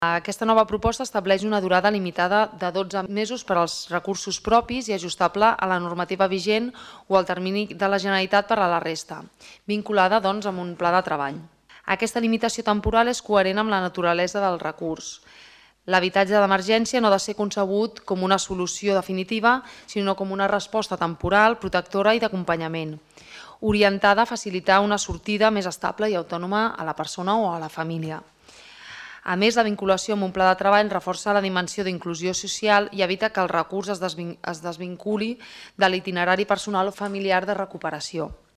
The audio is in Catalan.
Aquesta nova proposta estableix una durada limitada de 12 mesos per als recursos propis i ajustable a la normativa vigent o al termini de la Generalitat per a la resta, vinculada doncs amb un pla de treball. Aquesta limitació temporal és coherent amb la naturalesa del recurs. L'habitatge d'emergència no ha de ser concebut com una solució definitiva, sinó com una resposta temporal, protectora i d'acompanyament, orientada a facilitar una sortida més estable i autònoma a la persona o a la família. A més, la vinculació amb un pla de treball reforça la dimensió d'inclusió social i evita que el recurs es desvinculi de l'itinerari personal o familiar de recuperació.